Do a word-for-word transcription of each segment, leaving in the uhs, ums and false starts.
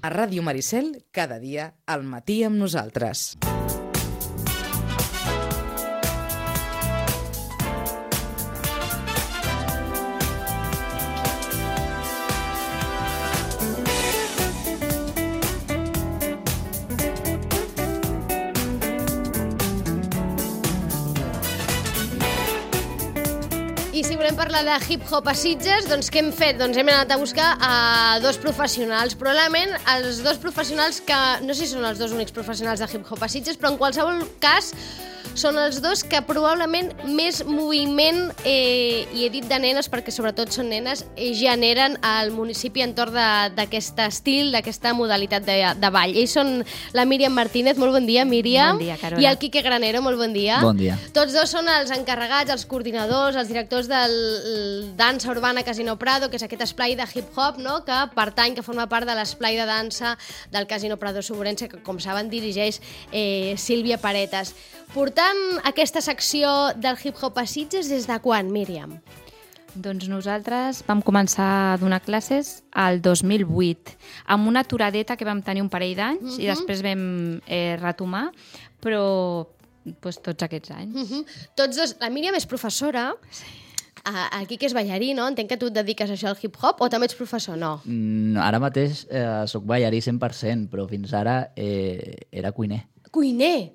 A Ràdio Maricel, cada dia, al matí amb nosaltres. I si volem parlar de hip-hop a Sitges, doncs què hem fet? Doncs hem anat a buscar a dos professionals. Probablement els dos professionals que... No sé si són els dos únics professionals de hip-hop a Sitges, però en qualsevol cas són els dos que probablement més moviment, eh, i he dit de nenes perquè sobretot són nenes, eh, generen al municipi entorn d'aquest estil, d'aquesta modalitat de, de ball. Ells són la Míriam Martínez, molt bon dia, Míriam. Bon dia, Carola. I el Quique Granero, molt bon dia. Bon dia. Tots dos són els encarregats, els coordinadors, els directors del Dansa Urbana Casino Prado, que és aquest esplai de hip-hop, no?, que pertany, que forma part de l'esplai de dansa del Casino Prado Soborense, que, com saben, dirigeix eh, Sílvia Paretas. Portant aquesta secció del hip-hop a Sitges des de quan, Míriam? Doncs nosaltres vam començar a donar classes al dos mil vuit, amb una aturadeta que vam tenir un parell d'anys, uh-huh. i després vam eh, retomar, però pues, tots aquests anys. Uh-huh. Tots dos. La Míriam és professora, sí. El Quique és ballarí, no? Entenc que tu et dediques a això al hip-hop, o també ets professor? No. Mm, ara mateix eh, soc ballarí cent per cent, però fins ara eh, era cuiner. Cuiner?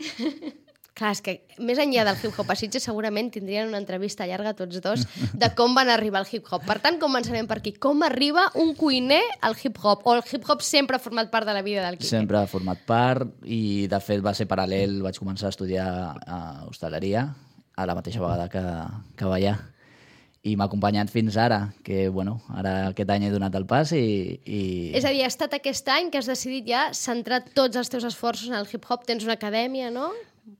Clar, és que més enllà del hip-hop a Sitges segurament tindrien una entrevista llarga tots dos de com van arribar al hip-hop. Per tant, començarem per aquí. Com arriba un cuiner al hip-hop? O el hip-hop sempre ha format part de la vida del Quique? Sempre ha format part i, de fet, va ser paral·lel. Vaig començar a estudiar a hostaleria a la mateixa vegada que, que ballar. I m'ha acompanyat fins ara, que, bueno, ara aquest any he donat el pas i, i... És a dir, ha estat aquest any que has decidit ja centrar tots els teus esforços en el hip-hop? Tens una acadèmia, no?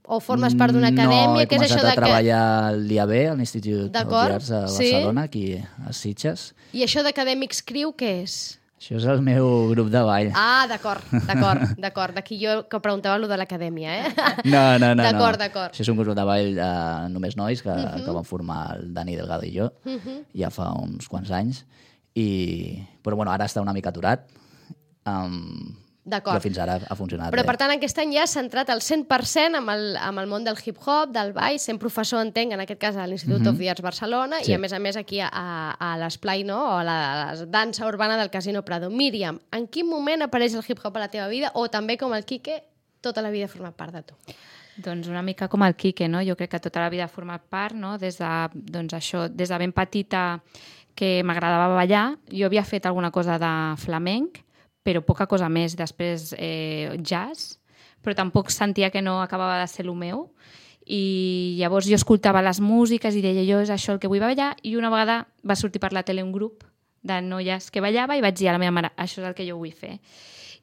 O formes part d'una acadèmia? No, he Què és començat això de a treballar al I A B, a l'Institut d'Arts de Barcelona, sí? Aquí a Sitges. I això d'Acadèmics Crew, què és? Això és el meu grup de ball. Ah, d'acord, d'acord, d'acord. D'aquí jo que preguntava allò de l'acadèmia, eh? No, no, no. D'acord, no. d'acord. Això és un grup de ball de només nois que, uh -huh. que van formar el Dani Delgado i jo uh -huh. ja fa uns quants anys. I... Però bueno, ara està una mica aturat. Um... Però fins ara ha funcionat Però, bé. per tant, aquest any ja has centrat el cent per cent amb el, amb el món del hip-hop, del ball, sent professor, entenc, en aquest cas a l'Institut mm -hmm. of the Arts Barcelona, sí. I a més a més aquí a, a l'esplai, no?, o a la, a la dansa urbana del Casino Prado. Míriam, en quin moment apareix el hip-hop a la teva vida, o també, com el Quique, tota la vida ha format part de tu? Doncs una mica com el Quique, no? Jo crec que tota la vida ha format part, no?, des de, doncs això, des de ben petita que m'agradava ballar. Jo havia fet alguna cosa de flamenc, però poca cosa més. Després eh, jazz, però tampoc sentia que no acabava de ser el meu. I llavors jo escoltava les músiques i deia, jo és això el que vull ballar, i una vegada va sortir per la tele un grup de noies que ballava i vaig dir a la meva mare, això és el que jo vull fer.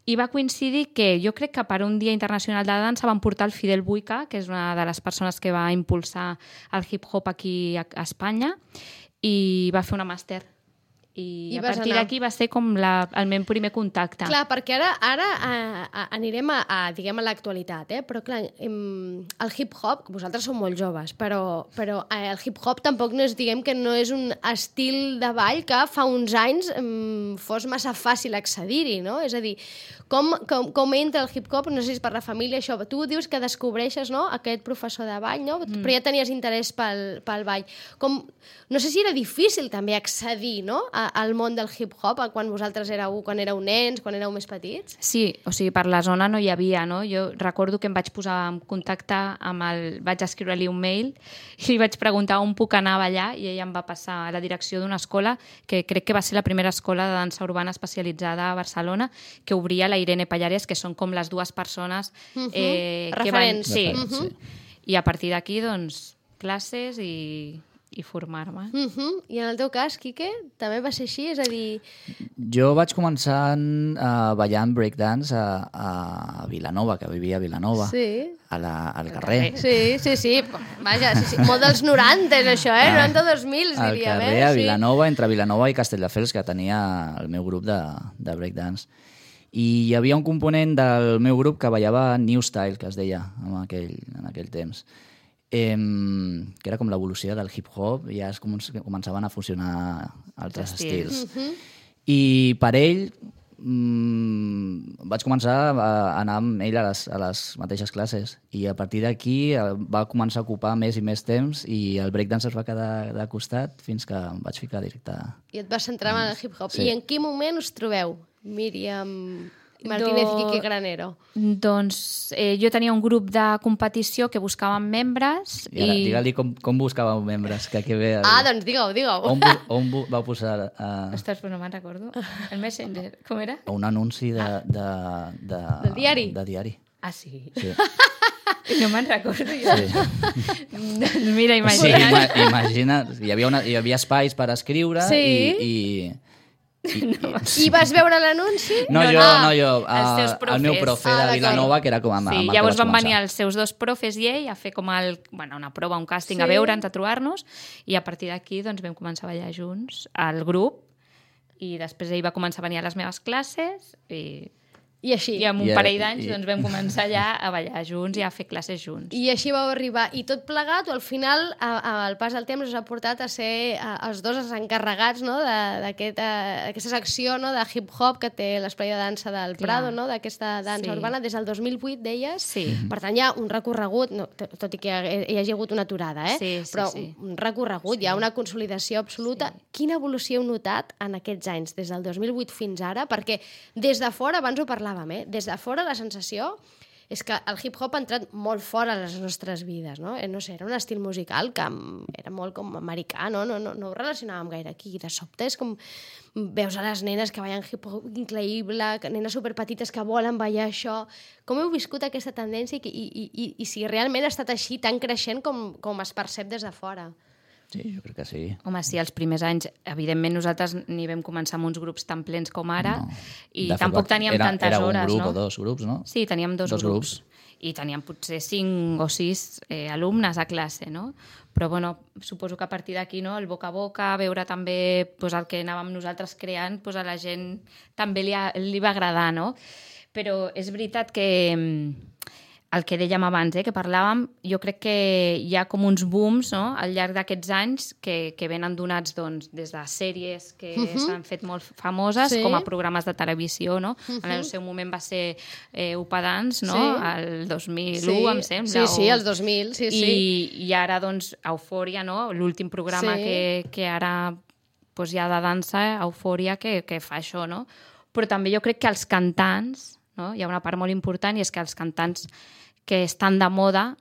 I va coincidir que jo crec que per un Dia Internacional de la Dansa van portar el Fidel Buica, que és una de les persones que va impulsar el hip-hop aquí a Espanya, i va fer una màster. I, I a partir d'aquí va ser com la, el meu primer contacte. Clar, perquè ara, ara a, a, anirem a, a, diguem, a l'actualitat, eh? Però clar, em, el hip-hop, vosaltres sou molt joves, però, però el hip-hop tampoc no és, diguem que no és un estil de ball que fa uns anys em, fos massa fàcil accedir-hi, no? És a dir, com, com, com entra el hip-hop, no sé si és per la família, això, tu dius que descobreixes, no?, aquest professor de ball, no? Mm. Però ja tenies interès pel, pel ball. Com, no sé si era difícil també accedir, no?, al món del hip-hop, quan vosaltres éreu, quan éreu nens, quan éreu més petits? Sí, o sigui, per la zona no hi havia, no? Jo recordo que em vaig posar en contacte amb el... Vaig escriure-li un mail i li vaig preguntar on puc anar a ballar i ella em va passar a la direcció d'una escola que crec que va ser la primera escola de dansa urbana especialitzada a Barcelona, que obria la Irene Pallares, que són com les dues persones uh-huh. eh, que van... Sí, uh-huh. sí. I a partir d'aquí, doncs, classes i... i formar-me. Uh-huh. I en el teu cas, Quique, també va ser així? És a dir... Jo vaig començar uh, ballant breakdance a, a Vilanova, que vivia a Vilanova, sí. a la, al carrer. Sí, sí, sí. Vaja, sí, sí. Molt dels noranta, això, eh? noranta-dos mil, diríem. Al carrer, eh? a sí. Vilanova, entre Vilanova i Castelldefels, que tenia el meu grup de, de breakdance. I hi havia un component del meu grup que ballava New Style, que es deia en aquell, en aquell temps. Eh, que era com l'evolució del hip-hop, i ja es començaven a fusionar altres estils. estils. Uh-huh. I per ell mm, vaig començar a anar amb ell a les, a les mateixes classes i a partir d'aquí va començar a ocupar més i més temps i el breakdance es va quedar de costat fins que em vaig ficar directe. I et vas centrar en el hip-hop. Sí. I en quin moment us trobeu, Míriam Martínez Do... i Quique Granero? Doncs eh, jo tenia un grup de competició que buscàvem membres I ara, i... digue-li com, com buscàveu membres, que aquí ve... El... Ah, doncs digue-ho, digue-ho. On, bu- on bu- vau posar uh, Ostres, però no me'n recordo. El Messenger, com era? un anunci de... De, de, De diari? De diari. Ah, sí? Sí. No me'n recordo jo. Sí. Doncs mira, Sí, imagina't. ima imagina, hi havia, una, hi havia espais per escriure Sí. i... i I, no. I vas veure l'anunci? No, No, jo, no, no, jo. els teus Uh, el meu profes. profe Ah, de d'acord. Vilanova, que era com amb, Sí, amb el que llavors vaig van venir començar. els seus dos profes i ell a fer com el, bueno, una prova, un càsting, Sí. a veure'ns, a trobar-nos, i a partir d'aquí doncs, vam començar a ballar junts al grup, i després ell va començar a venir a les meves classes, i, I així. i amb un I- parell d'anys i- doncs, vam començar ja a ballar junts i a fer classes junts. I així vau arribar. I tot plegat, o al final, a, a, al pas del temps, us ha portat a ser a, els dos els encarregats no? d'aquesta aquest, secció no? de hip-hop que té l'esplai de dansa del Clar. Prado, no? d'aquesta dansa Sí. urbana, des del dos mil vuit, deies. Sí. Per tant, hi ha un recorregut, no, t- tot i que hi hagi hagut una aturada, eh? Sí, sí, però sí. un recorregut, sí. Hi ha una consolidació absoluta. Sí. Quina evolució heu notat en aquests anys, des del dos mil vuit fins ara? Perquè des de fora, abans ho parlàvem, eh? des de fora la sensació és que el hip-hop ha entrat molt fora a les nostres vides, no? Eh, no sé, era un estil musical que era molt com americà, no? No, no, no ho relacionàvem gaire aquí. De sobte és com veus a les nenes que ballen hip-hop increïble, que nenes superpetites que volen ballar això. Com heu viscut aquesta tendència i, i, i, i si realment ha estat així tan creixent com, com es percep des de fora? Sí, jo crec que sí. Home, sí, els primers anys, evidentment, nosaltres ni vam començar amb uns grups tan plens com ara, No. i De fet, tampoc va- teníem era, tantes era hores, un grup no? o dos grups, no? Sí, teníem dos, Dos grups. grups. I teníem potser cinc o sis eh, alumnes a classe, no? Però, bueno, suposo que a partir d'aquí, no?, el boca a boca, veure també pues, el que anàvem nosaltres creant, pues, a la gent també li, ha, li va agradar, no? Però és veritat que mm, el que dèiem abans, eh, que parlàvem, jo crec que hi ha com uns booms, no?, al llarg d'aquests anys que, que venen donats doncs, des de sèries que uh -huh. s'han fet molt famoses, Sí. com a programes de televisió, no? Uh -huh. En el seu moment va ser eh, Upadance, no?, Sí. el dos mil u, Sí, em sembla. sí, sí, o- els dos mil, sí, I, sí. I ara, doncs, Eufòria, no?, l'últim programa Sí. que, que ara doncs, hi ha de dansa, Eufòria, que, que fa això, no? Però també jo crec que els cantants, no?, hi ha una part molt important, i és que els cantants que estan de moda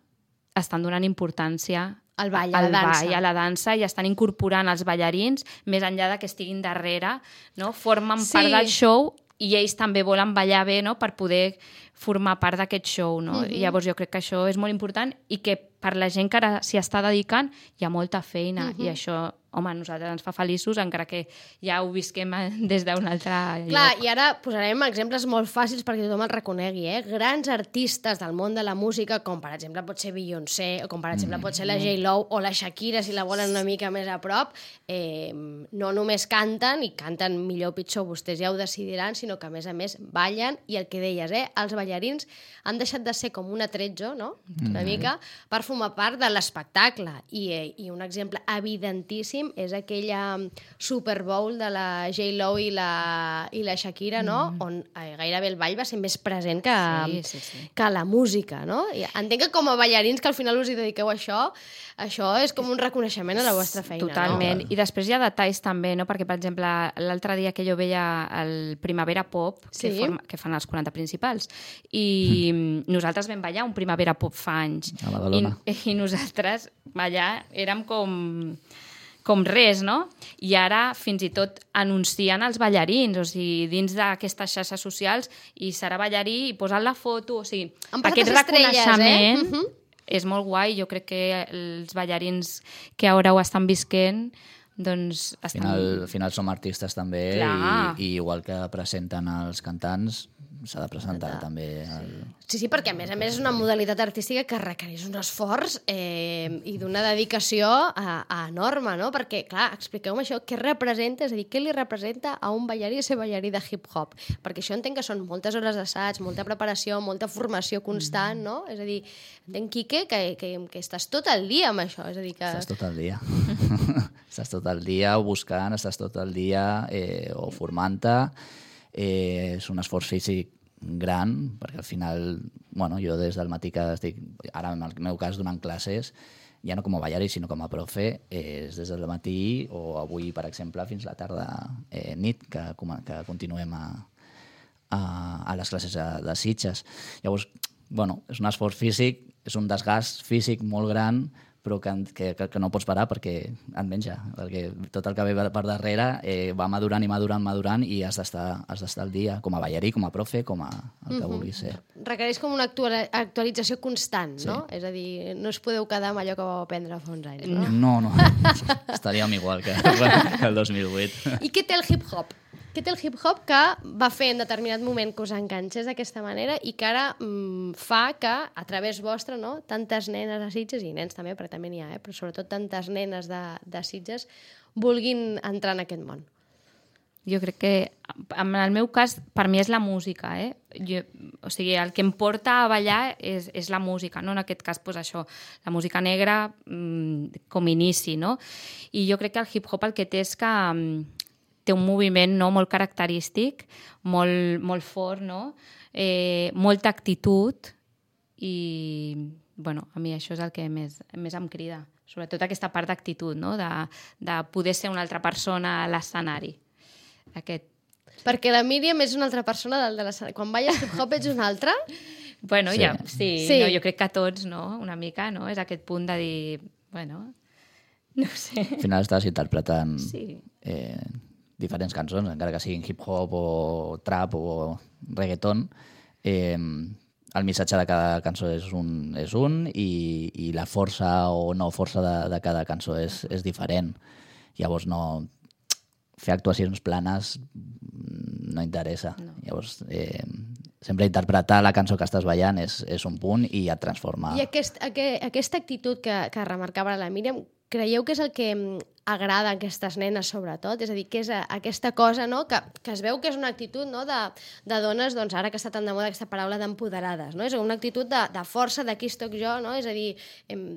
estan donant importància Al ball, a al la dansa. ball, a la dansa, i estan incorporant els ballarins, més enllà de que estiguin darrere, no? Formen Sí. part del show i ells també volen ballar bé, no?, per poder formar part d'aquest show, no? Mhm. I llavors jo crec que això és molt important i que per la gent que ara s'hi està dedicant hi ha molta feina, Mhm. i això, home, a nosaltres ens fa feliços, encara que ja ho visquem eh, des d'un altre Clar, lloc. i ara posarem exemples molt fàcils perquè tothom el reconegui, eh? Grans artistes del món de la música, com per exemple pot ser Beyoncé, o com per exemple pot ser la J-Lo o la Shakira, si la volen una mica més a prop, eh, no només canten, i canten millor o pitjor, vostès ja ho decidiran, sinó que a més a més ballen, i el que deies, eh? Els ballarins han deixat de ser com un atrezzo, no?, una mica, per formar part de l'espectacle. I, eh, I un exemple evidentíssim és aquella Super Bowl de la J-Lo i la, i la Shakira, no?, mm. on eh, gairebé el ball va ser més present que, Sí, sí, sí. que la música, no? I entenc que com a ballarins que al final us hi dediqueu a això, això és com un reconeixement a la vostra feina, Totalment. no? I després hi ha detalls també, no? Perquè, per exemple, l'altre dia que jo veia el Primavera Pop, Sí. que, forma, que fan els quaranta principals, i mm. nosaltres vam ballar un Primavera Pop fa anys. A Badalona. I, i nosaltres ballar érem com com res, no? I ara fins i tot anuncien els ballarins, o sigui, dins d'aquestes xarxes socials, i serà ballarí i posen la foto, o sigui, Han passat aquest les estrelles, reconeixement eh? Mhm. és molt guai. Jo crec que els ballarins que ara ho estan visquent, doncs Al estan... final, al final som artistes també, Clar. i, i igual que presenten els cantants, s'ha de presentar també el... Sí, sí, perquè a més a més és una modalitat artística que requereix un esforç eh, i d'una dedicació a, a enorme, no? Perquè, clar, expliqueu-me això, què representa, és a dir, què li representa a un ballarí ser ballarí de hip-hop? Perquè això entenc que són moltes hores d'assaig, molta preparació, molta formació constant, no? És a dir, entenc, Quique, que, que, que estàs tot el dia amb això, és a dir que... Estàs tot el dia. estàs tot el dia buscant, estàs tot el dia eh, o formant-te. eh, és un esforç físic gran, perquè al final, bueno, jo des del matí que estic, ara en el meu cas donant classes, ja no com a ballarí, sinó com a profe, és des del matí o avui, per exemple, fins la tarda eh, nit, que, que continuem a, a, a les classes de, de Sitges. Llavors, bueno, és un esforç físic, és un desgast físic molt gran, però que, que, que no pots parar perquè et menja, perquè tot el que ve per darrere eh, va madurant i madurant, madurant i has d'estar has d'estar al dia, com a ballarí, com a profe, com a el que mm-hmm. vulguis ser. Requereix com una actualització constant, sí. no? És a dir, no us podeu quedar amb allò que vau aprendre fa uns anys, no? No, no. Estaríem igual que, que el dos mil vuit. I què té el hip-hop? Què té el hip-hop que va fer en determinat moment que us enganxés d'aquesta manera i que ara mm, fa que, a través vostre, no, tantes nenes de Sitges, i nens també, perquè també n'hi ha, eh, però sobretot tantes nenes de, de Sitges, vulguin entrar en aquest món? Jo crec que, en el meu cas, per mi és la música, eh? Jo, o sigui, el que em porta a ballar és, és la música, no? En aquest cas, pues, això, la música negra mmm, com inici, no? I jo crec que el hip-hop el que té és que mmm, té un moviment, no, molt característic, molt, molt fort, no? eh, molta actitud i, bueno, a mi això és el que més, més em crida. Sobretot aquesta part d'actitud, no? de, de poder ser una altra persona a l'escenari. Aquest... Perquè la Míriam és una altra persona del de l'escenari. Quan balles hip-hop ets una altra? Bueno, sí, ja, sí, sí. No, jo crec que tots, no? Una mica, no? És aquest punt de dir, bueno, no sé. Al final estàs interpretant... Sí. Eh, diferents cançons, encara que siguin hip-hop o trap o reggaeton, eh, el missatge de cada cançó és un, és un i, i la força o no força de, de cada cançó és, és diferent. Llavors, no, fer actuacions planes no interessa. No. Llavors, eh, sempre interpretar la cançó que estàs ballant és, és un punt i et transforma. I aquest, aquest, aquesta actitud que, que remarcava la Míriam, creieu que és el que agrada a aquestes nenes, sobretot? És a dir, que és aquesta cosa, no?, que, que es veu que és una actitud, no?, de, de dones, doncs ara que està tan de moda aquesta paraula d'empoderades, no? És una actitud de, de força, d'aquí estoc jo, no? És a dir,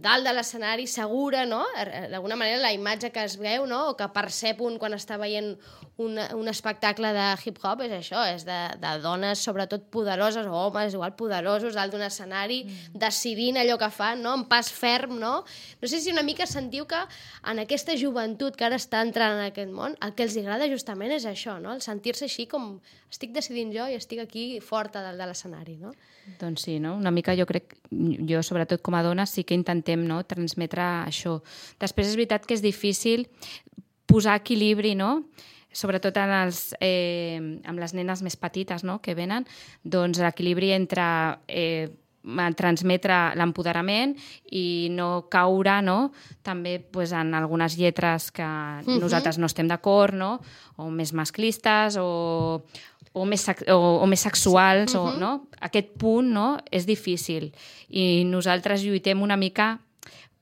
dalt de l'escenari, segura, no? D'alguna manera la imatge que es veu, no?, o que percep un quan està veient un, un espectacle de hip-hop és això, és de, de dones, sobretot poderoses, o homes, igual poderosos, dalt d'un escenari, mm. decidint allò que fan, no?, en pas ferm, no? No sé si una mica sentiu que en aquesta joventut que ara està entrant en aquest món, el que els agrada justament és això, no? El sentir-se així com estic decidint jo i estic aquí forta dalt de l'escenari, no? Doncs sí, no? Una mica jo crec, jo sobretot com a dona sí que intentem, no?, transmetre això. Després és veritat que és difícil posar equilibri, no?, sobretot en els, eh, amb les nenes més petites, no?, que venen, doncs l'equilibri entre eh, transmetre l'empoderament i no caure, no?, també pues, en algunes lletres que uh-huh. nosaltres no estem d'acord, no?, o més masclistes o, o, més, o, o més sexuals, uh-huh. o, no? Aquest punt, no?, és difícil i nosaltres lluitem una mica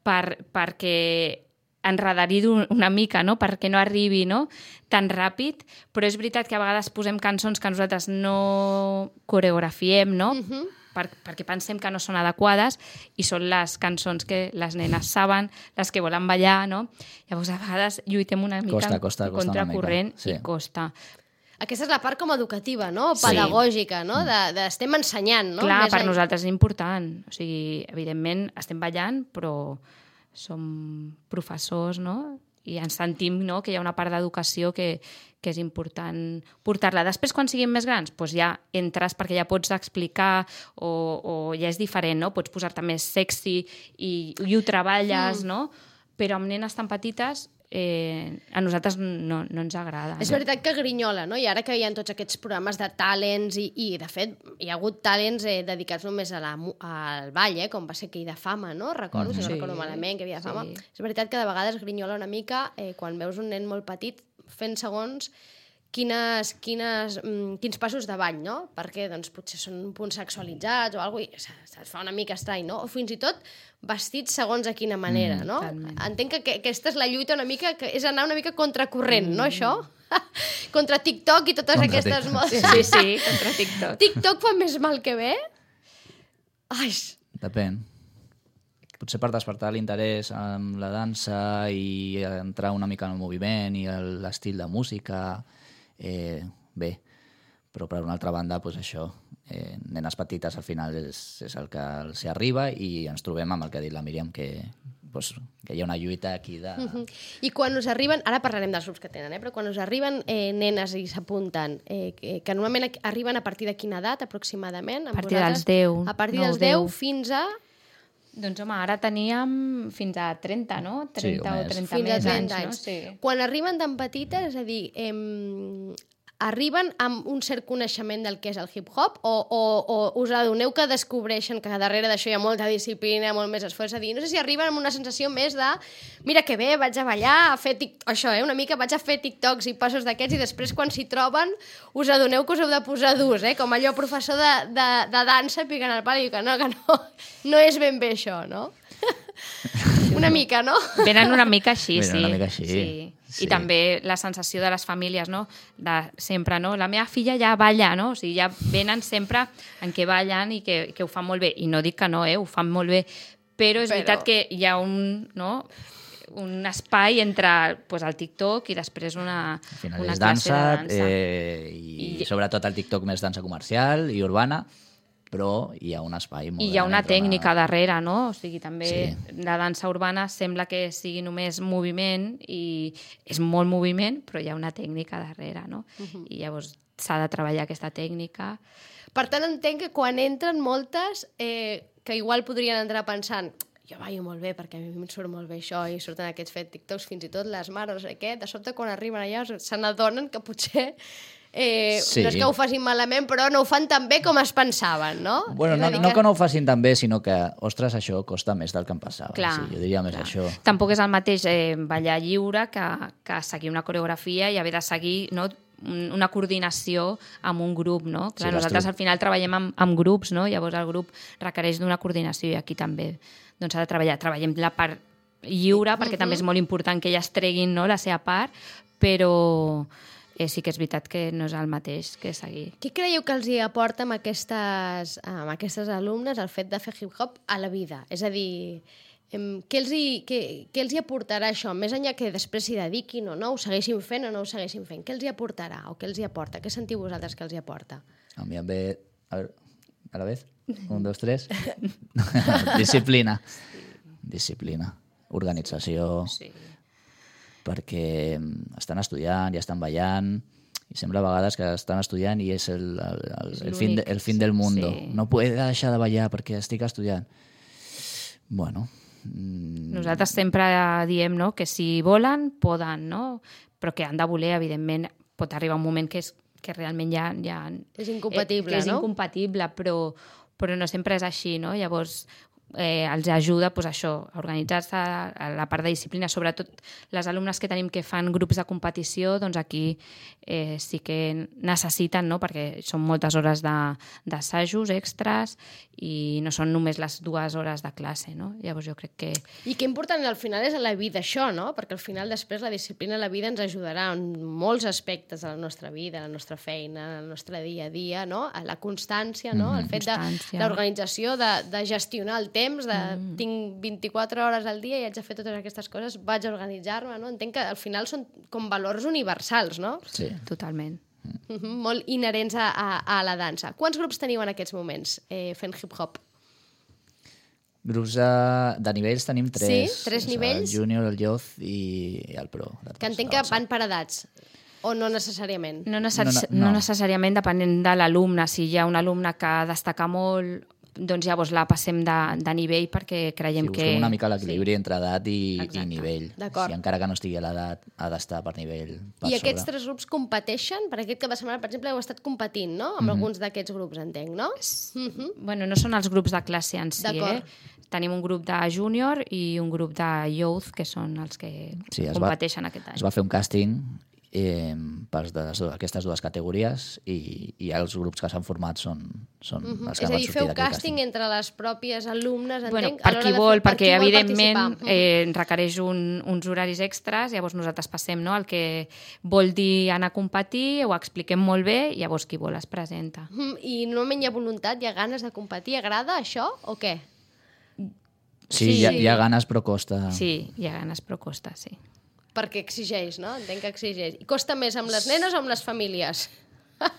per, perquè enredar-hi una mica, no?, perquè no arribi, no?, tan ràpid, però és veritat que a vegades posem cançons que nosaltres no coreografiem, no?, uh-huh. per, perquè pensem que no són adequades i són les cançons que les nenes saben, les que volen ballar, no? Llavors, a vegades lluitem una mica costa, costa, costa contracorrent sí. i costa. Aquesta és la part com educativa, no? Pedagògica, no? De, de estem ensenyant, no? Clar, Més per any... nosaltres és important. O sigui, evidentment, estem ballant, però som professors, no?, i ens sentim, no?, que hi ha una part d'educació que, que és important portar-la. Després, quan siguin més grans, doncs ja entres perquè ja pots explicar o, o ja és diferent, no? Pots posar-te més sexy i, i ho treballes, mm. no? Però amb nenes tan petites eh, a nosaltres no, no ens agrada. És no? veritat que grinyola, no? I ara que hi ha tots aquests programes de talents i, i de fet, hi ha hagut talents eh, dedicats només a la, al ball, eh? Com va ser aquell de fama, no? Recordo, mm. si no sí. recordo malament, que havia de fama. Sí. És veritat que de vegades grinyola una mica eh, quan veus un nen molt petit fent segons quines, quines, mm, quins passos de ball, no? Perquè doncs, potser són un punt sexualitzats o alguna cosa, i se't fa una mica estrany, no? O fins i tot vestits segons a quina manera, mm, no? Talment. Entenc que, que aquesta és la lluita una mica, que és anar una mica contracorrent, mm. no, això? Contra TikTok i totes contra aquestes TikTok. modes. Sí, sí, contra TikTok. TikTok fa més mal que bé? Ai... Depèn. Potser per despertar l'interès en la dansa i entrar una mica en el moviment i l'estil de música, eh, bé. però per una altra banda, doncs això, eh, nenes petites al final és, és el que els arriba i ens trobem amb el que ha dit la Míriam, que, doncs, que hi ha una lluita aquí de... Uh-huh. I quan us arriben, ara parlarem dels grups que tenen, eh? Però quan us arriben eh, nenes i s'apunten, eh, que, que normalment arriben a partir de quina edat aproximadament? A partir dels deu. A partir nou, dels deu deu. fins a... Doncs home, ara teníem fins a trenta, no? trenta Sí, o o més. trenta Fins a més trenta anys, anys. no? Sí. Quan arriben tan petites, és a dir, eh, arriben amb un cert coneixement del que és el hip-hop o, o, o us adoneu que descobreixen que darrere d'això hi ha molta disciplina, molt més esforç? És a dir, no sé si arriben amb una sensació més de mira que bé, vaig a ballar, a fer tic... això, eh, una mica vaig a fer TikToks i passos d'aquests i després quan s'hi troben us adoneu que us heu de posar durs, eh? Com allò professor de, de, de dansa picant el pal i diu que no, que no, no és ben bé això, no? Una mica, no? Venen una mica així, Venen sí. una mica així, sí. sí. I també la sensació de les famílies, no? De sempre, no? La meva filla ja balla, no? O sigui, ja venen sempre en què ballen i que, que ho fan molt bé. I no dic que no, eh? Ho fan molt bé. Però és Però... veritat que hi ha un, no? un espai entre pues, el TikTok i després una, Al final una és classe dansa, de dansa. eh, i, I- sobretot el TikTok més dansa comercial i urbana, però hi ha un espai molt I hi ha gran una entre tècnica darrere, no? O sigui, també Sí. la dansa urbana sembla que sigui només moviment i és molt moviment, però hi ha una tècnica darrere, no? I llavors s'ha de treballar aquesta tècnica. Per tant, entenc que quan entren moltes, eh, que igual podrien entrar pensant jo ballo molt bé perquè a mi em surt molt bé això i surten aquests fet TikToks, fins i tot les mares, no sé què, de sobte quan arriben allà se n'adonen que potser eh, Sí. no és que ho facin malament, però no ho fan tan bé com es pensaven, no? Bueno, És no, a dir no que no ho facin tan bé, sinó que, ostres, això costa més del que em passava. Clar, sí, jo diria més clar. això. Tampoc és el mateix eh, ballar lliure que, que seguir una coreografia i haver de seguir, no?, un- una coordinació amb un grup, no? Clar, Sí, nosaltres l'estru- al final treballem amb, amb grups, no? Llavors el grup requereix d'una coordinació i aquí també doncs, s'ha de treballar. Treballem la part lliure perquè també és molt important que elles treguin, no?, la seva part, però eh, sí que és veritat que no és el mateix que seguir. Què creieu que els hi aporta amb aquestes, amb aquestes alumnes el fet de fer hip-hop a la vida? És a dir, em, què els, hi, què, què els hi aportarà això? Més enllà que després s'hi dediquin o no, ho segueixin fent o no ho segueixin fent. Què els hi aportarà o què els hi aporta? Què sentiu vosaltres que els hi aporta? A mi em ve... A veure, a la vez? Un, dos, tres? Disciplina. Disciplina. Organització. Sí. Perquè mm, estan estudiant i estan ballant i sembla a vegades que estan estudiant i és el, el, el, És el, fin, de, l'únic, el fin del mundo. sí. No puedo deixar de ballar perquè estic estudiant. Bueno... mm, Nosaltres sempre diem, no?, que si volen, poden, no? Però que han de voler, evidentment, pot arribar un moment que, és, que realment ja... ja És incompatible, eh, que és no? incompatible, però, però no sempre és així, no? Llavors, eh, els ajuda pues, això, a organitzar-se, a la part de disciplina, sobretot les alumnes que tenim que fan grups de competició, doncs aquí eh, sí que necessiten, no?, perquè són moltes hores de- d'assajos extras i no són només les dues hores de classe, no? Llavors jo crec que... I que important al final és a la vida això, no? Perquè al final després la disciplina a la vida ens ajudarà en molts aspectes de la nostra vida, la nostra feina, el nostre dia a dia, no? A la constància, no? El fet de Constància. l'organització, de, de gestionar el temps, de tinc vint-i-quatre hores al dia i haig de fer totes aquestes coses, vaig a organitzar-me, no? Entenc que al final són com valors universals, no? Sí. Totalment. Mhm, molt inherents a, a, a la dansa. Quants grups teniu en aquests moments eh, fent hip-hop? Grups de, de nivells tenim tres. Sí? Tres És nivells? El júnior, el youth i el pro. Que entenc que van per edats, o no necessàriament? No, necess No, no, no, no. no. necessàriament depenent de l'alumne. Si hi ha un alumne que destaca molt, doncs llavors la passem de, de nivell perquè creiem Sí, que... busquem una mica l'equilibri sí. entre edat i, i Exacte. nivell. D'acord. Si encara que no estigui a l'edat, ha d'estar per nivell per I aquests sobre. tres grups competeixen? Per aquest cap de setmana, per exemple, heu estat competint, no? Amb mm -hmm. alguns d'aquests grups, entenc, no? Mm -hmm. Bueno, no són els grups de classe en si, D'acord. eh? Tenim un grup de júnior i un grup de youth, que són els que Sí, es va- competeixen aquest any. Es va fer un càsting eh, per de les, dues- aquestes dues categories i, i els grups que s'han format són, són Mm -hmm. els que És a van dir, sortir feu d'aquell càsting entre les pròpies alumnes, entenc? Bueno, a per l'hora qui de vol, fer- per perquè qui vol evidentment participar. eh, requereix un, uns horaris extras, llavors nosaltres passem, no?, el que vol dir anar a competir, ho expliquem molt bé, llavors qui vol es presenta. Mhm. I normalment hi ha voluntat, hi ha ganes de competir? Agrada això o què? Sí, Sí. hi ha, hi ha ganes però costa. Sí, hi ha ganes, però costa, sí. Perquè exigeix, no? Entenc que exigeix. I costa més amb les nenes o amb les famílies?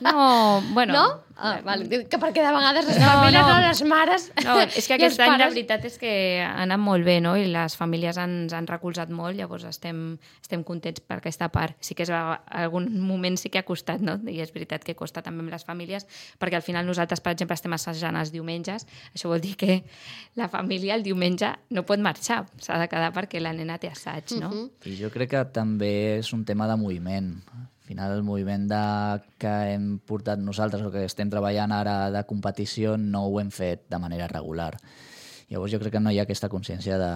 No, bueno... No? Ah, vale. Que perquè de vegades les No, famílies, no. no, les mares No, és que i els aquest any la pares... veritat és que ha anat molt bé, no? I les famílies ens han recolzat molt, llavors estem, estem contents per aquesta part. Sí que és, algun moment sí que ha costat, no? I és veritat que costa també amb les famílies, perquè al final nosaltres, per exemple, estem assajant els diumenges, això vol dir que la família el diumenge no pot marxar, s'ha de quedar perquè la nena té assaig, no? Uh-huh. I jo crec que també és un tema de moviment. Al final, el moviment de, que hem portat nosaltres o que estem treballant ara de competició no ho hem fet de manera regular. Llavors jo crec que no hi ha aquesta consciència de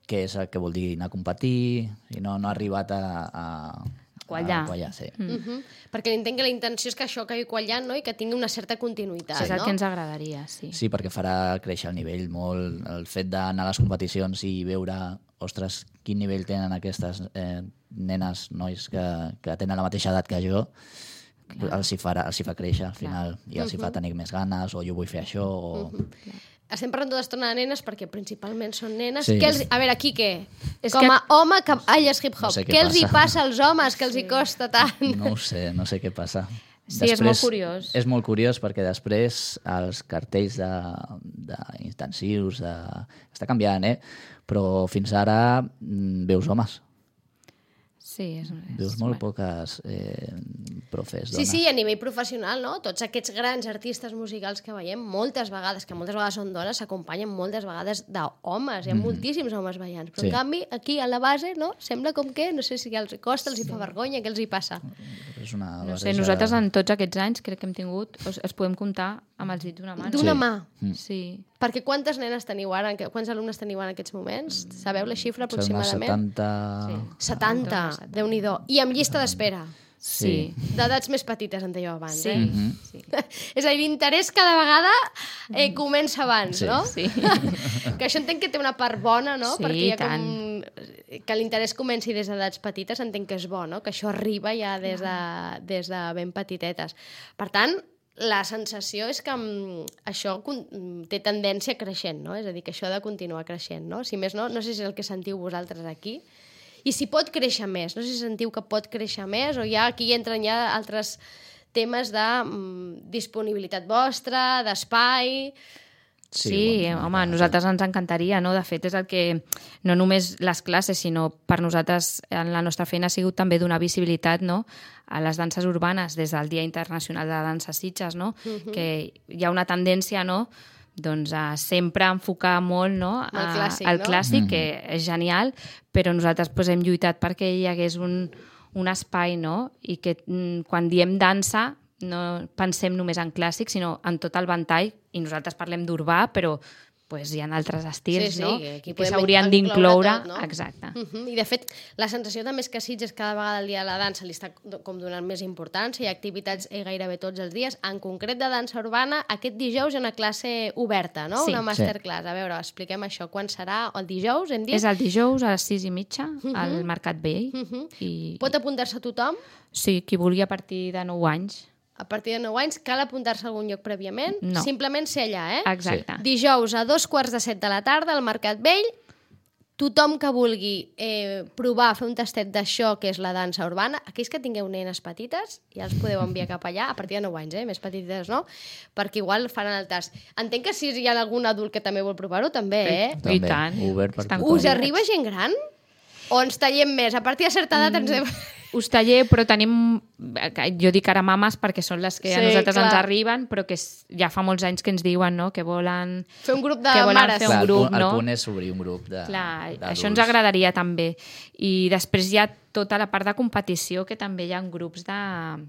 què és el que vol dir anar a competir i no, no ha arribat a, a, quallar. a quallar. Sí. Mm. Uh-huh. Perquè entenc que la intenció és que això acabi quallant, no? I que tingui una certa continuïtat, sí, és el no? que ens agradaria, sí. Sí, perquè farà créixer el nivell molt. El fet d'anar a les competicions i veure, ostres, quin nivell tenen aquestes eh, nenes, nois que, que tenen la mateixa edat que jo, clar. els hi, farà, els hi fa créixer al final, clar. I els hi fa tenir més ganes, o jo vull fer això, o... Uh-huh. Estem parlant tota l'estona de nenes perquè principalment són nenes. Sí. Que els... A veure, Quique, És com que- a home que balles hip-hop, No sé què què els hi passa. passa als homes que els hi costa tant? No ho sé, no sé què passa. Sí, és molt curiós. És molt curiós perquè després els cartells d'intensius de, de, està canviant, eh? Però fins ara mm, veus homes. Sí, és... Veus és molt bueno. poques eh, profes Sí, dones. sí, a nivell professional, no? Tots aquests grans artistes musicals que veiem, moltes vegades, que moltes vegades són dones, s'acompanyen moltes vegades d'homes. Hi ha moltíssims homes ballant. Però, Sí. en canvi, aquí a la base, no? Sembla com que, no sé si els costa, els hi fa vergonya, què els hi passa. És una No sé, barreja- nosaltres en tots aquests anys crec que hem tingut, els, els podem comptar amb els dits d'una mà. no? D'una Sí. mà. Sí. Perquè quantes nenes teniu ara? en que- Quants alumnes teniu ara en aquests moments? Sabeu la xifra Són unes aproximadament? setanta... setanta, Déu-n'hi-do. I amb llista d'espera. Sí. D'edats més petites, en dèieu abans, Sí. eh? Mhm. sí. És a dir, l'interès cada vegada eh, comença abans, Sí. no? Sí. Que això entenc que té una part bona, no? Sí, Perquè hi ha i com... Que l'interès comenci des d'edats petites entenc que és bo, no? Que això arriba ja des de, des de ben petitetes. Per tant, la sensació és que mm, això con- mm, té tendència creixent, no? És a dir, que això ha de continuar creixent, no? Si més no, no sé si és el que sentiu vosaltres aquí, i si pot créixer més, no sé si sentiu que pot créixer més o ja aquí entren ja altres temes de mm, disponibilitat vostra, d'espai... Sí, Sí, sí bueno, home, a nosaltres ens encantaria, no? De fet, és el que, no només les classes, sinó per nosaltres, en la nostra feina ha sigut també donar visibilitat, no?, a les danses urbanes des del Dia Internacional de Dansa Sitges, no?, uh-huh. que hi ha una tendència, no?, doncs a sempre enfocar molt, no?, a, El clàssic, al no? clàssic, Mhm. que és genial, però nosaltres pues, hem lluitat perquè hi hagués un, un espai, no?, i que mm, quan diem dansa no pensem només en clàssic, sinó en tot el ventall, i nosaltres parlem d'urbà, però pues, hi ha altres estils, Sí, sí, no?, que aquí que podem s'haurien incloure d'incloure. tot, no? Exacte. Uh -huh. I de fet, la sensació també és que Sitges cada vegada el dia de la dansa li està com donant més importància, hi ha activitats eh, gairebé tots els dies. En concret de dansa urbana, aquest dijous hi ha una classe oberta, no? Sí. Una masterclass. A veure, expliquem això. Quan serà? El dijous, hem dit? És el dijous a les sis i mitja al Mercat Vell. Uh -huh. I, Pot apuntar-se tothom? sí, qui vulgui a partir de nou anys. A partir de nou anys cal apuntar-se a algun lloc prèviament? No. Simplement ser allà, eh? Exacte. Dijous a dos quarts de set de la tarda al Mercat Vell, tothom que vulgui eh, provar, fer un tastet d'això que és la dansa urbana, aquells que tingueu nenes petites, ja els podeu enviar cap allà, a partir de nou anys, eh? Més petites, no? Perquè igual faran el tast. Entenc que si hi ha algun adult que també vol provar-ho, també, eh? També, I tant. obert per Estan tothom. Us arriba gent gran? O ens tallem més? A partir de certa edat ens... Hem... Us taller, però tenim, jo dic ara mames perquè són les que Sí, a nosaltres clar. ens arriben, però que s- ja fa molts anys que ens diuen, no?, que volen... Fer un grup de que volen mares. fer Clar, un el grup, punt- no? El punt és obrir un grup de Clar, d'adults. això ens agradaria també. I després hi ha tota la part de competició, que també hi ha grups de-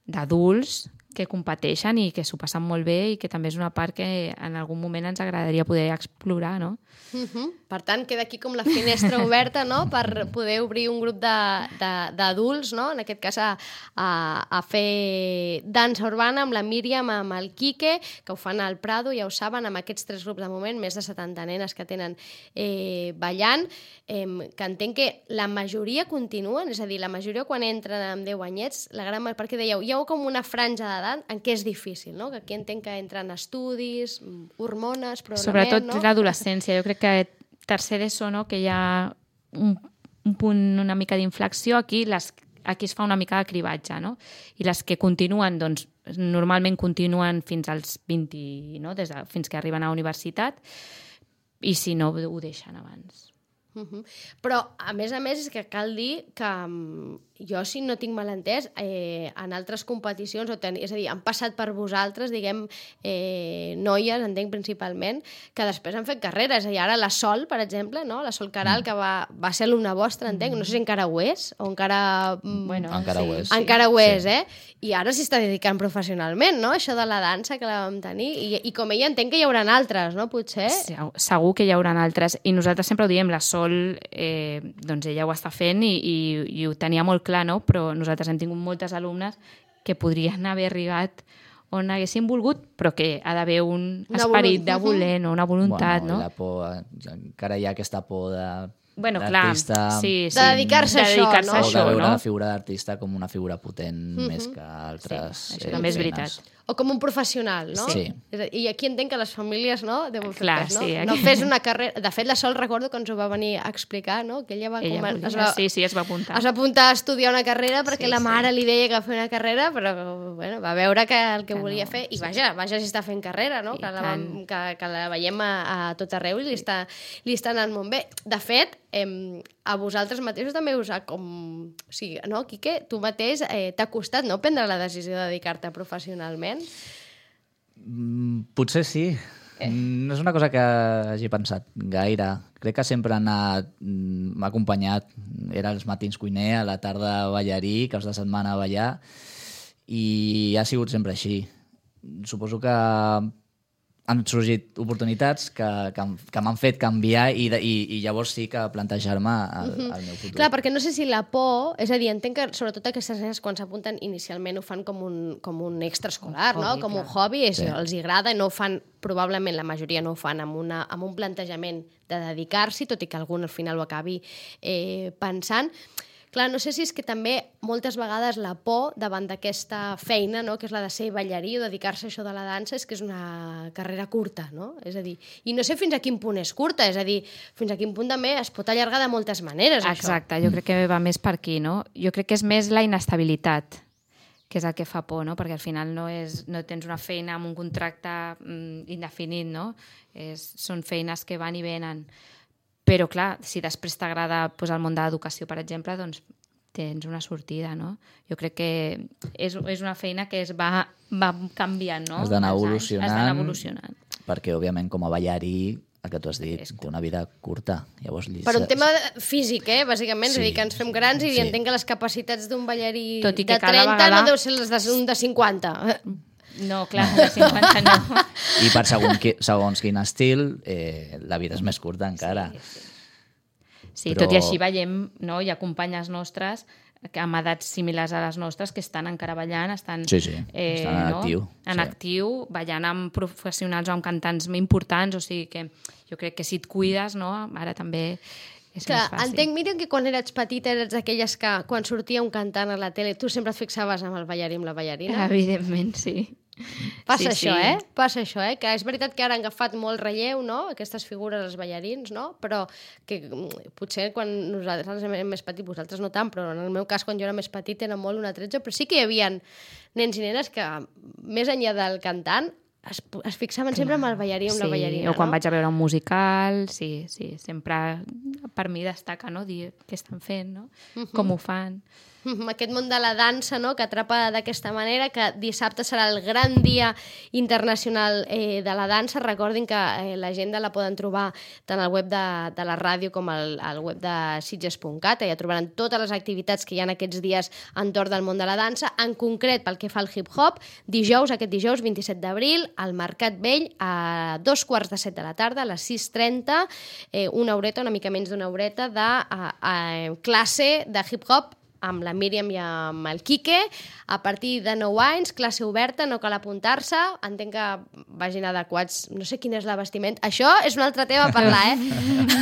d'adults que competeixen i que s'ho passen molt bé i que també és una part que en algun moment ens agradaria poder explorar, no? Uh -huh. Per tant, queda aquí com la finestra oberta, no?, per poder obrir un grup d'adults, no?, en aquest cas a, a, a fer dansa urbana amb la Míriam, amb el Quique, que ho fan al Prado, ja ho saben, amb aquests tres grups de moment, més de setanta nenes que tenen eh, ballant, eh, que entenc que la majoria continuen, és a dir, la majoria quan entren amb deu anyets, la gran, perquè dèieu, hi ha com una franja d'edat en què és difícil, no?, que aquí entenc que entren estudis, hormones, programament, Sobretot no? l'adolescència. Jo crec que tercer d'ESO, no?, que hi ha un, un punt una mica d'inflexió aquí, les, aquí es fa una mica de cribatge, no? I les que continuen, doncs, normalment continuen fins als vint, no? Des de, fins que arriben a la universitat, i si no, ho deixen abans. Uh-huh. Però, a més a més, és que cal dir que um, jo, si no tinc mal entès, eh, en altres competicions, o ten... és a dir, han passat per vosaltres, diguem, eh, noies, entenc principalment, que després han fet carreres. I ara la Sol, per exemple, no? La Sol Caral, mm. que va, va ser alumna vostra, entenc, no sé si encara ho és, o encara... Bueno, encara sí, ho és. Encara ho és, sí. eh? I ara s'hi està dedicant professionalment, no? Això de la dansa que la vam tenir. I, i com ella entenc que hi haurà altres, no? Potser? Segur, segur que hi haurà altres. I nosaltres sempre ho diem, la Sol, eh, doncs ella ho està fent i, i, i ho tenia molt clar, no? Però nosaltres hem tingut moltes alumnes que podrien haver arribat on haguessin volgut, però que ha d'haver un Una esperit volu- de voler, no? Una voluntat, bueno, no? La por, encara hi ha aquesta por de... Bueno, clar, sí, sí. De dedicar-se a de això, dedicar-se no? a O de això, veure no? la figura d'artista com una figura potent mm-hmm. més que altres Sí, això eh, també és feines. veritat. O com un professional, no? Sí. És a dir, I aquí entenc que les famílies, no? Deuen fer Clar, cas, no? sí, aquí- No fes una carrera... De fet, la Sol recordo que ens ho va venir a explicar, no? Que ella va... Ella comen- volia, es va... sí, sí, es va apuntar. Es va apuntar a estudiar una carrera perquè Sí, la mare sí. li deia que va fer una carrera, però bueno, va veure que el que, Que volia no, fer... I sí. vaja, vaja si està fent carrera, no? I Que la, vam, que, que la veiem a, a tot arreu i li està, li està anant molt bé. De fet, eh, a vosaltres mateixos també us ha com... O sigui, no, Quique, tu mateix eh, t'ha costat, no?, prendre la decisió de dedicar-te professionalment? Mm, potser sí. Eh. No és una cosa que hagi pensat gaire. Crec que sempre han anat... mm, m'ha acompanyat. Era els matins cuiner, a la tarda ballarí, caps de setmana ballar, i ha sigut sempre així. Suposo que han sorgit oportunitats que, que, que m'han fet canviar i, de, i, i llavors sí que plantejar-me el, el meu futur. Clar, perquè no sé si la por... És a dir, entenc que sobretot aquestes nenes quan s'apunten inicialment ho fan com un, com un extraescolar, Un no? hobby, Com un clar. hobby, és, Sí. els hi agrada i no ho fan, probablement la majoria no ho fan amb, una, amb un plantejament de dedicar-s'hi, tot i que algun al final ho acabi eh, pensant. Clar, no sé si és que també moltes vegades la por davant d'aquesta feina, no?, que és la de ser ballarí o dedicar-se a això de la dansa, és que és una carrera curta, no? És a dir, i no sé fins a quin punt és curta, és a dir, fins a quin punt també es pot allargar de moltes maneres, això. Exacte, jo crec que va més per aquí, no? Jo crec que és més la inestabilitat, que és el que fa por, no? Perquè al final no, és, no tens una feina amb un contracte mm, indefinit, no? És, són feines que van i venen. Però, clar, si després t'agrada pues, el món de l'educació, per exemple, doncs tens una sortida, no? Jo crec que és, és una feina que es va, va canviant, no? Has d'anar Amb els anys. evolucionant. Has d'anar evolucionant. Perquè, òbviament, com a ballarí, el que tu has dit, És té una vida curta. Llavors, li... Per un tema físic, eh, bàsicament, Sí. és a dir, que ens fem grans i Sí. entenc que les capacitats d'un ballarí Tot i que de cada trenta vegada- no deu ser les d'un de cinquanta. No, clar, de cinquanta no. I per segons, qui, segons quin estil, eh, la vida és més curta encara. Sí, sí. Sí, Però- tot i així veiem, no? Hi ha companyes nostres que amb edats similars a les nostres que estan encara ballant, estan, Sí, sí, estan en no? actiu, En sí. actiu, ballant amb professionals o amb cantants importants, o sigui que jo crec que si et cuides, no? Ara també és Que més fàcil. entenc, Míriam, que quan eres petita eres d'aquelles que quan sortia un cantant a la tele tu sempre et fixaves amb el ballarí, amb la ballarina. Evidentment, sí. Passa Sí, això, sí. eh? Passa això, eh? Que és veritat que ara han agafat molt relleu, no?, aquestes figures dels ballarins, no? Però que mm, potser quan nosaltres érem més petits, vosaltres no tant, però en el meu cas, quan jo era més petit, era molt una tretze, però sí que hi havia nens i nenes que, més enllà del cantant, es, es fixaven sempre amb el ballarí, amb sí, la ballarina, o quan no? vaig a veure un musical, sí, sí, sempre per mi destaca, no?, dir què estan fent, no?, com ho fan. Aquest món de la dansa, no?, que atrapa d'aquesta manera, que dissabte serà el gran dia internacional eh, de la dansa. Recordin que eh, l'agenda la poden trobar tant al web de, de la ràdio com al, al web de sitges punt cat. Ja trobaran totes les activitats que hi ha aquests dies entorn del món de la dansa. En concret, pel que fa al hip-hop, dijous, aquest dijous, vint-i-set d'abril, al Mercat Vell, a dos quarts de set de la tarda, a les sis trenta, eh, una horeta, una mica menys d'una horeta, de a, a, classe de hip-hop amb la Míriam i amb el Quique, a partir de nou anys, classe oberta, no cal apuntar-se, entenc que vagin adequats, no sé quin és la vestimenta, això és un altre tema a parlar, eh?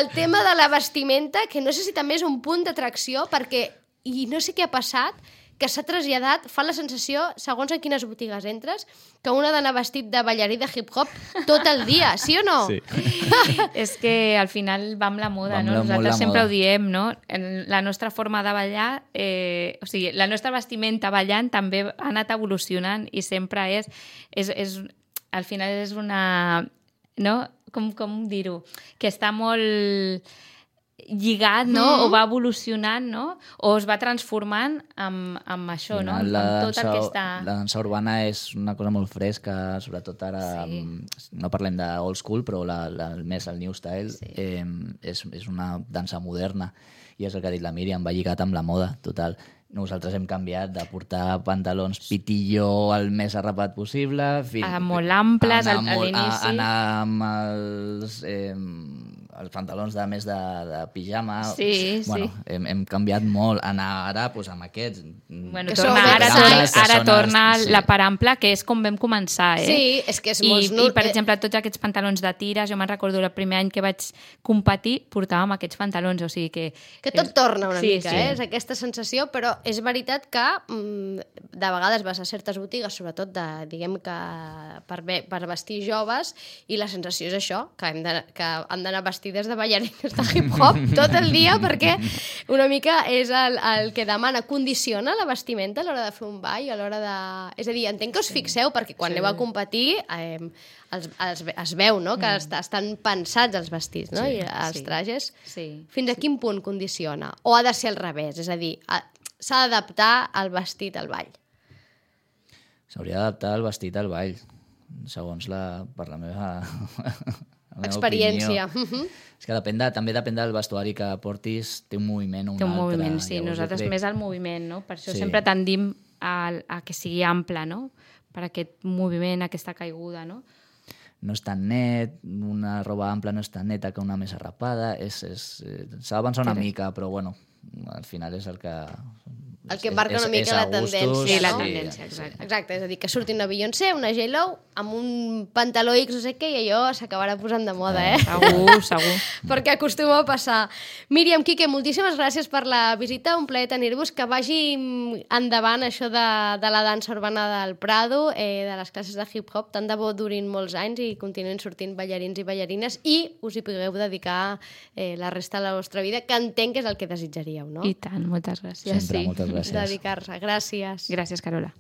El tema de la vestimenta, que no sé si també és un punt d'atracció, perquè, i no sé què ha passat, que s'ha traslladat, fa la sensació, segons en quines botigues entres, que un ha d'anar vestit de ballarí de hip-hop tot el dia, sí o no? Sí. És que al final va amb la moda, Va amb no? la- molt Nosaltres la sempre moda. ho diem, no? En la nostra forma de ballar, eh, o sigui, la nostra vestimenta ballant també ha anat evolucionant i sempre és, és, és al final és una, no? Com, com dir-ho? Que està molt lligat, no? Mm. O va evolucionant, no? O es va transformant amb, amb això, no? Al final, Amb la tot el dansa- que està... La dansa urbana és una cosa molt fresca, sobretot ara, Sí. sí. no parlem de old school, però la, la, el més el new style Sí. eh, és, és una dansa moderna i és el que ha dit la Míriam, va lligat amb la moda, total. Nosaltres hem canviat de portar pantalons pitillo el més arrapat possible, fins, A molt amples, anar al- a molt- l'inici. a- anar amb els, eh, els pantalons de més de, de pijama. Sí, bueno, sí. Hem, hem canviat molt. Anar ara doncs, amb aquests. Bueno, Que torna, són ara, oversize, torna, que ara són torna els- sí. la part ampla, que és com vam començar, eh? Sí, és que és I, molt... I, per exemple, tots aquests pantalons de tires, jo me'n recordo el primer any que vaig competir, portàvem aquests pantalons, o sigui que... Que tot torna una Sí, mica, sí. eh? És aquesta sensació, però és veritat que mm, de vegades vas a certes botigues, sobretot de, diguem que per, ve, per vestir joves, i la sensació és això, que hem de- que han d'anar vestides de ballarines de hip-hop tot el dia, perquè una mica és el, el que demana, condiciona la vestimenta a l'hora de fer un ball, a l'hora de... És a dir, entenc que us fixeu, perquè quan Sí. aneu a competir eh, els, els, es veu, no?, que mm. estan pensats els vestits, no?, Sí. i els Sí. trajes. Sí. Fins a quin punt condiciona? O ha de ser al revés? És a dir, ha- s'ha d'adaptar el vestit al ball. S'hauria d'adaptar el vestit al ball, segons la, per la meva, la meva Experiència. opinió. Mhm. És que depèn de, també depèn del vestuari que portis, té un moviment o un Té un altre. moviment, sí. Llavors, jo Nosaltres crec- més al moviment, no? Per això Sí. sempre tendim a, a que sigui ample, no? Per aquest moviment, aquesta caiguda, no? No és tan net, una roba ampla no és tan neta que una més arrapada, és, és, eh, s'ha d'avançar una Correcte. mica, però bueno, al final és el que... El que és- marca és- una mica és a la gustos, tendència, Sí, la no? tendència, exacte. Exacte, és a dir, que surti una Beyoncé, una J-Lo, amb un pantaló X no sé què, i allò s'acabarà posant de moda, eh? Segur, segur. Perquè acostuma a passar. Míriam, Quique, moltíssimes gràcies per la visita, un plaer tenir-vos, que vagi endavant això de, de la dansa urbana del Prado, eh, de les classes de hip-hop, tant de bo durin molts anys i continuïn sortint ballarins i ballarines i us hi pugueu dedicar eh, la resta de la vostra vida, que entenc que és el que desitjaríeu, no? I tant, moltes gràcies. Sempre, sí. moltes gràcies. Dedicar-se. Gràcies. Gràcies, Carola.